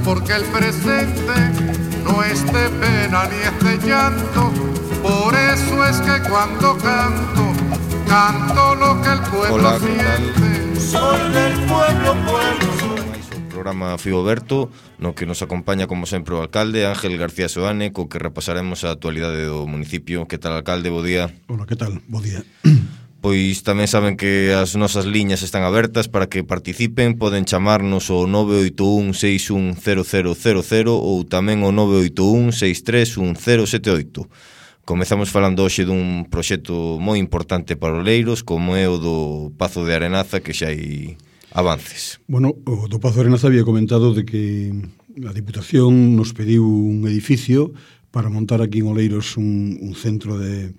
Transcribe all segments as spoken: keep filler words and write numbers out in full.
porque el presente no es de pena ni es de llanto. Por eso es que cuando canto, canto lo que el pueblo Hola, siente. Soy del pueblo, pueblo. Programa Fío Berto, no que nos acompaña como sempre o alcalde Ángel García Soane, co que repasaremos a actualidade do municipio. Que tal, alcalde? Bo día. Hola, que tal? Bo día. Pois tamén saben que as nosas liñas están abertas para que participen. Poden chamarnos o nove oito un seis un cero cero cero cero ou tamén o nove oito un seis tres un cero sete oito. Comezamos falando hoxe dun proxecto moi importante para os leiros, como é o do Pazo de Arenaza, que xa hai avances. Bueno, o do Pazo de Arenaza había comentado de que a Diputación nos pediu un edificio para montar aquí en Oleiros un, un centro de,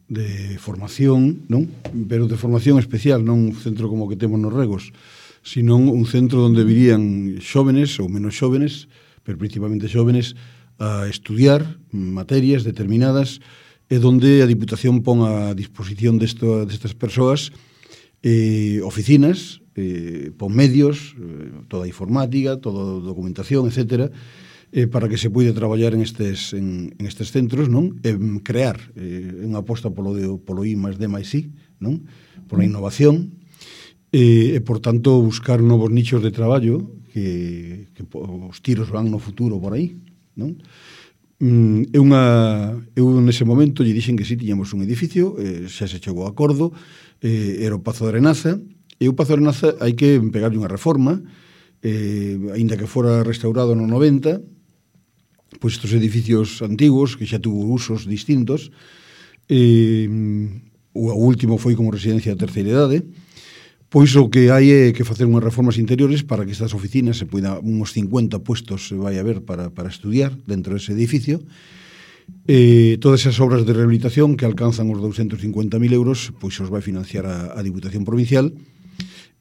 de formación, non? Pero de formación especial, non un centro como que temos nos Regos, sino un centro onde virían xóvenes ou menos xóvenes, pero principalmente xóvenes, a estudiar materias determinadas e donde a Diputación pon a disposición desto, destas persoas eh, oficinas, eh, pon medios, eh, toda a informática, toda a documentación, etcétera, eh, para que se poida traballar en estes, en, en estes centros, non? E crear eh, unha aposta polo, de, polo I máis D máis I, non? Pola innovación, e, e por tanto buscar novos nichos de traballo que, que os tiros van no futuro por aí, non? Mm, é unha, eu nese momento lle dixen que si tiñamos un edificio, eh, xa se chegou a acordo, eh, era o Pazo de Arenaza, e o Pazo de Arenaza hai que pegarlle unha reforma, eh, aínda que fora restaurado no noventa, pois estes edificios antigos que xa tuvo usos distintos, eh, o último foi como residencia de terceira idade. Pois o que hai é que facer unhas reformas interiores para que estas oficinas se poida, uns cincuenta puestos se vai a ver para, para estudiar dentro dese edificio. Eh, todas esas obras de rehabilitación que alcanzan os doscientos cincuenta mil euros, pois os vai financiar a, a Diputación Provincial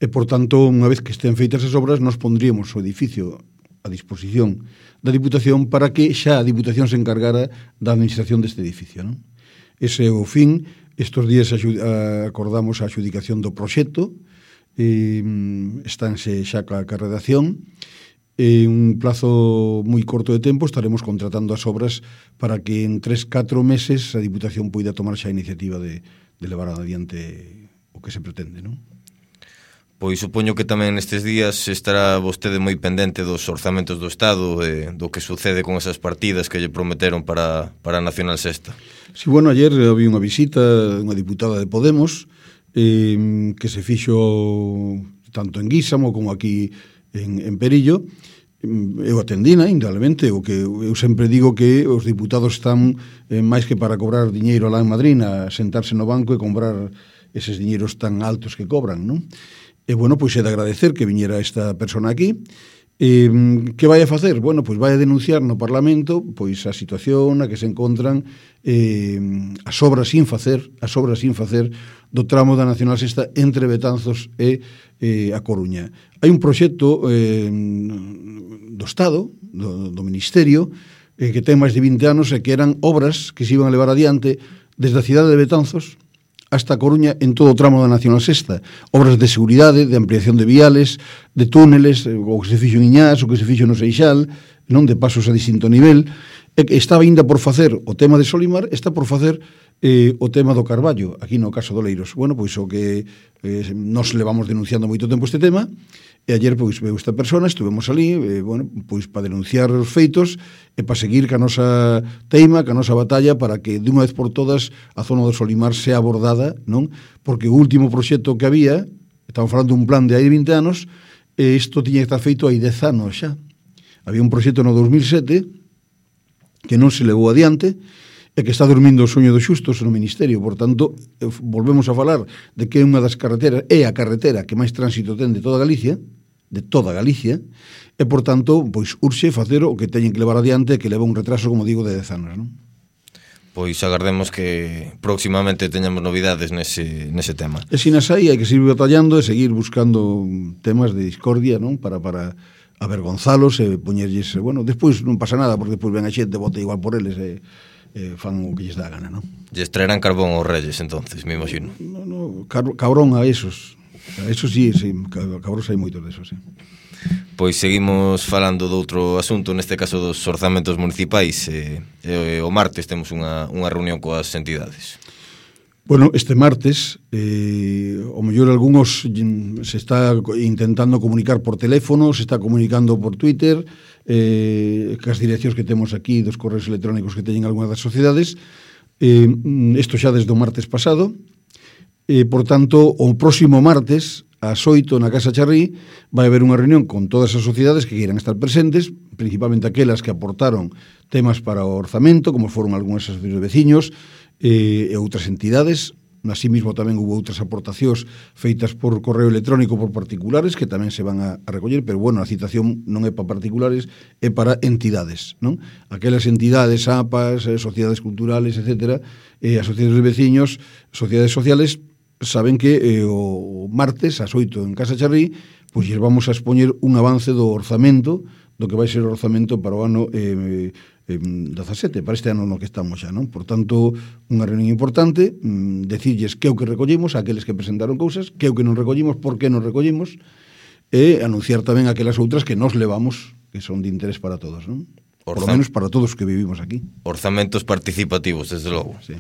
e, por tanto, unha vez que estén feitas as obras, nos pondríamos o edificio a disposición da Diputación para que xa a Diputación se encargara da administración deste edificio, non? Ese é o fin. Estos días acordamos a adjudicación do proxecto, eh, estánse xa ca, ca redacción, en un plazo moi corto de tempo estaremos contratando as obras para que en tres, catro meses a Diputación poida tomar xa a iniciativa de, de levar adiante o que se pretende, non? Pois supoño que tamén nestes días estará vostede moi pendente dos orzamentos do Estado e do que sucede con esas partidas que lle prometeron para, para a Nacional Sexta. Sí, bueno, ayer había unha visita dunha diputada de Podemos eh, que se fixo tanto en Guísamo como aquí en, en Perillo. Eu atendina, indudablemente, o que eu sempre digo que os diputados están eh, máis que para cobrar diñeiro lá en Madrid, a sentarse no banco e comprar eses diñeiros tan altos que cobran, non? E, bueno, pois é de agradecer que viñera esta persona aquí. E, que vai a facer? Bueno, pois vai a denunciar no Parlamento pois a situación na que se encontran eh, as obras sin facer, as obras sin facer do tramo da Nacional Sexta entre Betanzos e eh, a Coruña. Hai un proxecto eh, do Estado, do, do Ministerio, eh, que ten máis de vinte anos e que eran obras que se iban a levar adiante desde a cidade de Betanzos hasta a Coruña en todo o tramo da Nacional Sexta. Obras de seguridade, de ampliación de viales, de túneles, o que se fixo en Iñás, o que se fixo no Seixal, non, de pasos a distinto nivel. E estaba ainda por facer o tema de Solimar, está por facer eh, o tema do Carballo, aquí no caso do Leiros. Bueno, pois o que eh, nos levamos denunciando moito tempo este tema, e ayer pois veu esta persona, estuvemos ali, eh, bueno, pois para denunciar os feitos e para seguir ca nosa teima, ca nosa batalla para que de unha vez por todas a zona do Solimar sea abordada, non? Porque o último proxecto que había, estamos falando dun plan de hai vinte anos, e isto tiña que estar feito hai dez anos xa. Había un proxecto no dos mil sete que non se levou adiante e que está dormindo o soño dos xustos no Ministerio. Por tanto, volvemos a falar de que é unha das carreteras, é a carretera que máis tránsito ten de toda Galicia, de toda Galicia, e, por tanto, pois urxe facer o que teñen que levar adiante, que leva un retraso, como digo, de dez anos, non? Pois agardemos que próximamente teñamos novidades nese, nese tema. E sin as aí, hai que seguir batallando e seguir buscando temas de discordia, non? Para, para avergonzalos e poñerlles, bueno, despois non pasa nada, porque despois ven a xente, vota igual por eles e, e fan o que lles dá a gana, non? Lles traerán carbón aos reyes, entonces, me imagino. No, no, cabrón a esos. Eso sí, sí, cabróns hai moitos desos, sí. Pois seguimos falando de outro asunto, neste caso dos orzamentos municipais. E, e, o martes temos unha, unha reunión coas entidades. Bueno, este martes, eh, o mellor algúns se está intentando comunicar por teléfono, se está comunicando por Twitter, eh, cas direccións que temos aquí, dos correos electrónicos que teñen algunhas das sociedades, eh, isto xa desde o martes pasado, eh, por tanto, o próximo martes, ás oito na Casa Charrí, vai haber unha reunión con todas as sociedades que queiran estar presentes, principalmente aquelas que aportaron temas para o orzamento, como foron algunhas asociacións de veciños e, e outras entidades. Así mismo tamén hubo outras aportacións feitas por correo electrónico por particulares que tamén se van a, a recoller, pero bueno, a citación non é para particulares, é para entidades, non? Aquelas entidades, A P As, eh, sociedades culturales, etcétera, eh, asociacións de veciños, sociedades sociales, saben que eh, o martes ás oito en Casa Charrí pois lles vamos a expoñer un avance do orzamento, do que vai ser o orzamento para o ano eh, eh, dezasete, para este ano no que estamos xa, non? Por tanto, unha reunión importante, mm, decirlles que é o que recollimos, aqueles que presentaron cousas, que é o que non recollimos, por que non recollimos, e anunciar tamén aquelas outras que nos levamos, que son de interés para todos, non? Por lo menos para todos os que vivimos aquí. Orzamentos participativos, desde logo. Sí.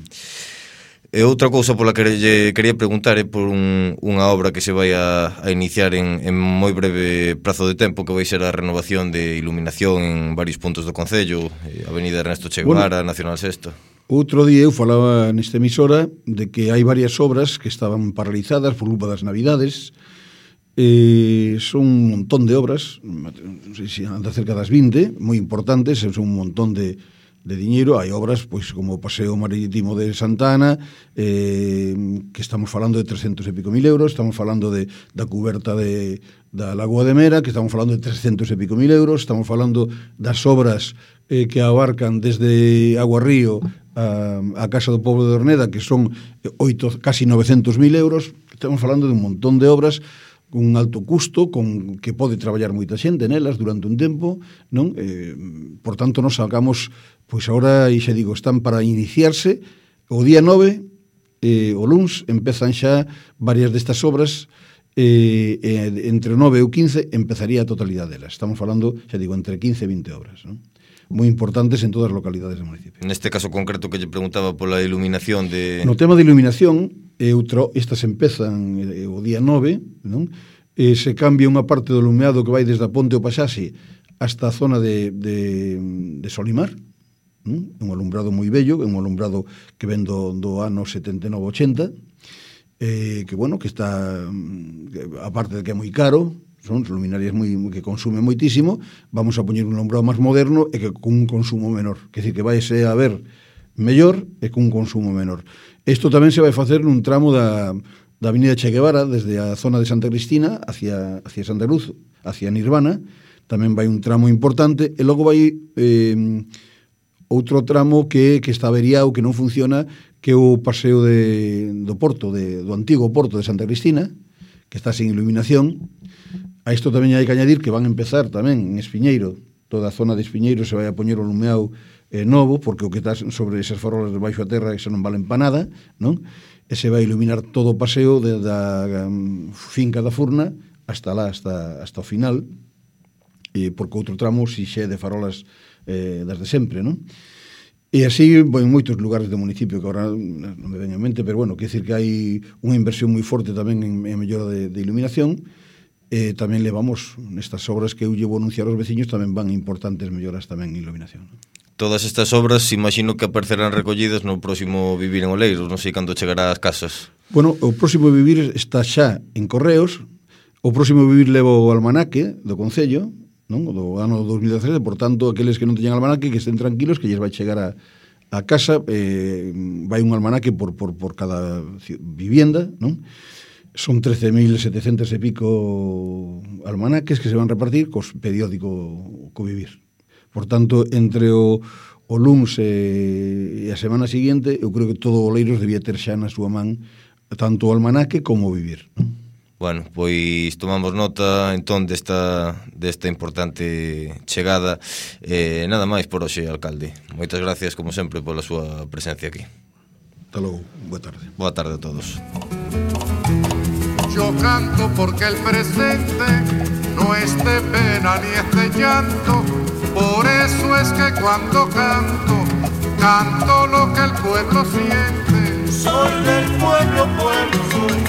E outra cousa pola que lle quería preguntar é por un, unha obra que se vai a, a iniciar en, en moi breve prazo de tempo, que vai ser a renovación de iluminación en varios puntos do Concello, Avenida Ernesto Che Guevara, bueno, Nacional Sexta. Outro día eu falaba nesta emisora de que hai varias obras que estaban paralizadas por culpa das Navidades. Eh, son un montón de obras, non sei se anda cerca das vinte, moi importantes, son un montón de de diñeiro. Hai obras pois como o Paseo Marítimo de Santa Ana, eh, que estamos falando de trescentos e pico mil euros, estamos falando de, da cuberta de, da Lagoa de Mera, que estamos falando de trescentos e pico mil euros, estamos falando das obras eh, que abarcan desde Agua Río a, a Casa do Pobo de Orneda, que son oito, casi novecentos mil euros. Estamos falando de un montón de obras con un alto custo, con que pode traballar moita xente nelas durante un tempo, non? Eh, por tanto, nos sacamos, pois agora, e xa digo, están para iniciarse. O día nove, eh, o luns, empezan xa varias destas obras, eh, eh, entre o nove e o quince empezaría a totalidade delas. Estamos falando, xa digo, entre quince e vinte obras, non? Moi importantes en todas as localidades do municipio. Neste caso concreto que lle preguntaba pola iluminación de... No tema de iluminación, e outro, estas empezan eh, o día nove, non? E se cambia unha parte do lumeado que vai desde a Ponte ao Paxaxe hasta a zona de, de, de Solimar, non? Un alumbrado moi bello, un alumbrado que ven do, do ano setenta e nove ochenta, eh, que bueno, que está, aparte de que é moi caro, son luminarias moi, que consume moitísimo, vamos a poñer un alumbrado máis moderno e que con un consumo menor, que decir, que vai ser a ver mellor e con un consumo menor. Isto tamén se vai facer nun tramo da, da Avenida Che Guevara, desde a zona de Santa Cristina hacia, hacia Santa Cruz, hacia Nirvana, tamén vai un tramo importante, e logo vai eh, outro tramo que, que está averiado, que non funciona, que é o paseo de, do porto, de, do antigo porto de Santa Cristina, que está sin iluminación. A isto tamén hai que añadir que van a empezar tamén en Espiñeiro, toda a zona de Espiñeiro se vai a poñer o lumeado eh, novo, porque o que está sobre esas farolas de baixo a terra eso non valen para nada, non? E se vai a iluminar todo o paseo de, da um, finca da Furna hasta lá, hasta, hasta o final, e porque outro tramo si xe de farolas eh, das de sempre, non? E así, bueno, en moitos lugares do municipio que agora non me ven en mente, pero bueno, quer decir que hai unha inversión moi forte tamén en, en mellora de, de iluminación. E tamén levamos nestas obras que eu llevo a anunciar aos veciños, tamén van importantes melloras tamén en iluminación. Todas estas obras, imagino que aparecerán recollidas no próximo Vivir en Oleiros, non sei cando chegará ás casas. Bueno, o próximo Vivir está xa en correos, o próximo Vivir leva o almanaque do Concello, non? Do ano dos mil dezasete, por tanto, aqueles que non teñan almanaque, que estén tranquilos, que lles vai chegar a, a casa, eh, vai un almanaque por, por, por cada vivienda, non? Son trece mil setecentos e pico almanaques que se van a repartir cos periódico co Vivir. Por tanto, entre o, o luns e, e a semana seguinte, eu creo que todo o Oleiros debía ter xa na súa man tanto o almanaque como o Vivir, non? Bueno, pois tomamos nota entón desta, desta importante chegada. Eh, nada máis por hoxe, alcalde. Moitas gracias, como sempre, pola súa presencia aquí. Hasta logo, boa tarde. Boa tarde a todos. Yo canto porque el presente no es de pena ni es de llanto, por eso es que cuando canto, canto lo que el pueblo siente. Soy del pueblo, pueblo soy.